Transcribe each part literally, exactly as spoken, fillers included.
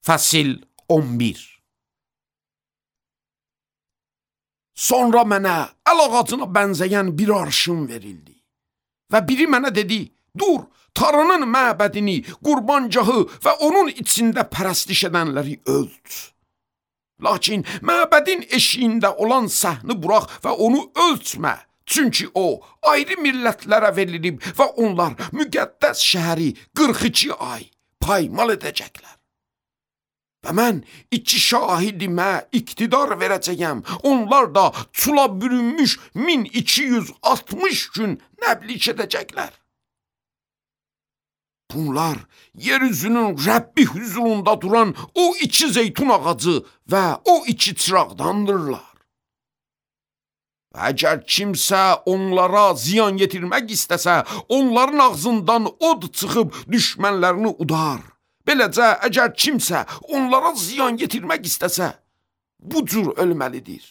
Fəsil on bir. Sonra mənə əl ağacına bənzəyən bir arşın verildi və biri mənə dedi, dur, Tanrının məbədini, qurbancahı və onun içində pərəstiş edənləri ölt. Lakin məbədin eşiyində olan səhni burax və onu ölçmə. Çünki o, ayrı millətlərə verilib və onlar müqəddəs şəhəri qırx iki ay paymal edəcəklər. Və mən iki şahidimə iqtidar verəcəyəm. Onlar da çula bürünmüş min iki yüz altmış gün nəblik edəcəklər. Bunlar yeryüzünün Rəbbi huzurunda duran o iki zeytun ağacı və o iki çıraqdandırlar. Və əgər kimsə onlara ziyan yetirmək istəsə, onların ağzından od çıxıb düşmənlərini udar. Beləcə, əgər kimsə onlara ziyan yetirmək istəsə, bu cür ölməlidir.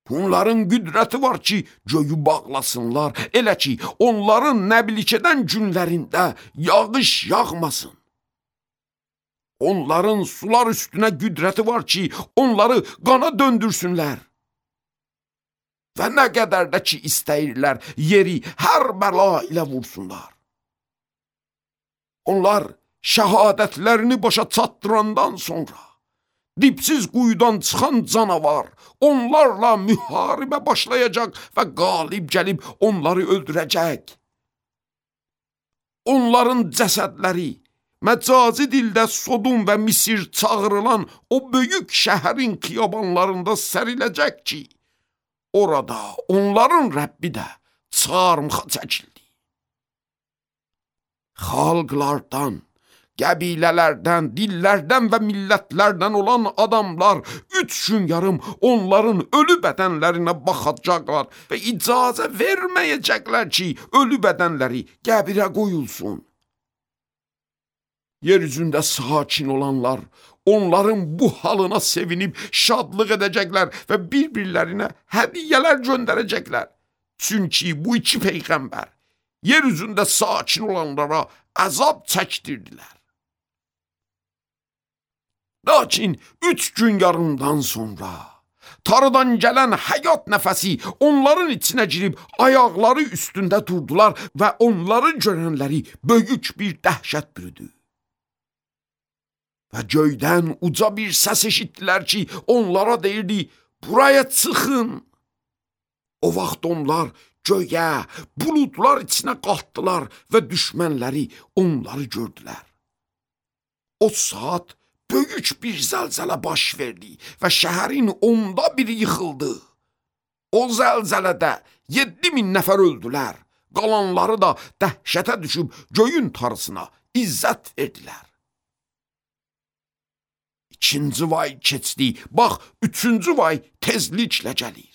Bunların qüdrəti var ki, göyü bağlasınlar, elə ki, onların nəblik edən günlərində yağış yağmasın. Onların sular üstünə qüdrəti var ki, onları qana döndürsünlər. Və nə qədər də ki istəyirlər, yeri hər bəla ilə vursunlar. Onlar şəhadətlərini başa çatdırandan sonra, dipsiz quyudan çıxan canavar onlarla müharibə başlayacaq və qalib gəlib onları öldürəcək. Onların cəsədləri məcazi dildə Sodom və Misir çağırılan o böyük şəhərin xiyabanlarında səriləcək ki, orada onların Rəbbi də çarmıxa çəkildi. Xalqlardan, qəbilələrdən, dillərdən və millətlərdən olan adamlar üç gün yarım onların ölü bədənlərinə baxacaqlar və icazə verməyəcəklər ki, ölü bədənləri qəbirə qoyulsun. Yeryüzündə sakin olanlar onların bu halına sevinib şadlıq edəcəklər və bir-birlərinə hədiyyələr göndərəcəklər. Çünki bu iki peyğəmbər yeryüzündə sakin olanlara əzab çəkdirdilər. Lakin üç gün yarımdan sonra Tanrıdan gələn həyat nəfəsi onların içinə girib ayaqları üstündə durdular və onları görənləri böyük bir dəhşət bürüdü. Və göydən uca bir səs eşitdilər ki, onlara deyirdi, buraya çıxın. O vaxt onlar göyə, buludlar içinə qalxdılar və düşmənləri onları gördülər. O saat böyük bir zəlzələ baş verdi və şəhərin onda biri yıxıldı. O zəlzələdə yeddi min nəfər öldülər, qalanları da dəhşətə düşüb göyün tarısına izzət verdilər. İkinci vay keçdi, bax, üçüncü vay tezliklə gəlir.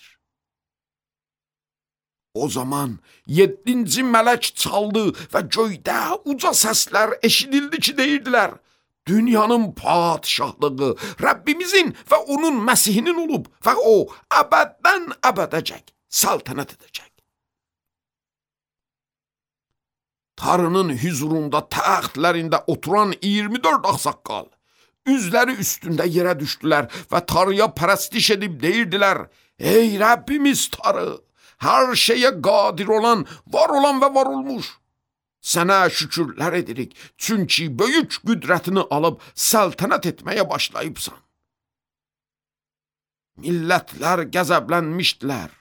O zaman yeddinci mələk çaldı və göydə uca səslər eşidildi ki, deyirdilər, dünyanın padişahlığı Rəbbimizin və onun Məsihinin olub və o əbəddən əbədəcək, səltənət edəcək. Tanrının huzurunda təxtlərində oturan iyirmi dörd ağsaqqal, üzləri üstündə yerə düşdülər və Tanrıya pərəstiş edib deyirdilər, ey Rəbbimiz Tanrı, hər şeyə qadir olan, var olan və var olmuş. Sənə şükürlər edirik, çünki böyük qüdrətini alıb səltənət etməyə başlayıbsan. Millətlər qəzəblənmişdilər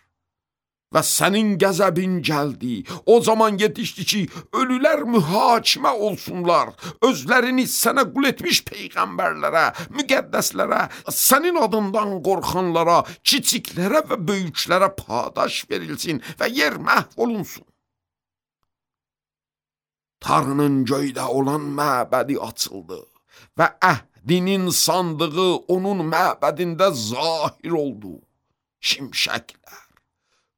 və sənin qəzəbin gəldi. O zaman yetişdi ki, ölülər mühakimə olsunlar, özlərini sənə qul etmiş peyğəmbərlərə, müqəddəslərə, sənin adından qorxanlara, kiçiklərə və böyüklərə padaş verilsin və yer məhv olunsun. Tanrının göydə olan məbədi açıldı və əhdinin sandığı onun məbədində zahir oldu. Şimşəklər,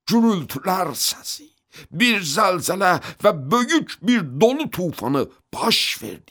gürültülər səsi, bir zəlzələ və böyük bir dolu tufanı baş verdi.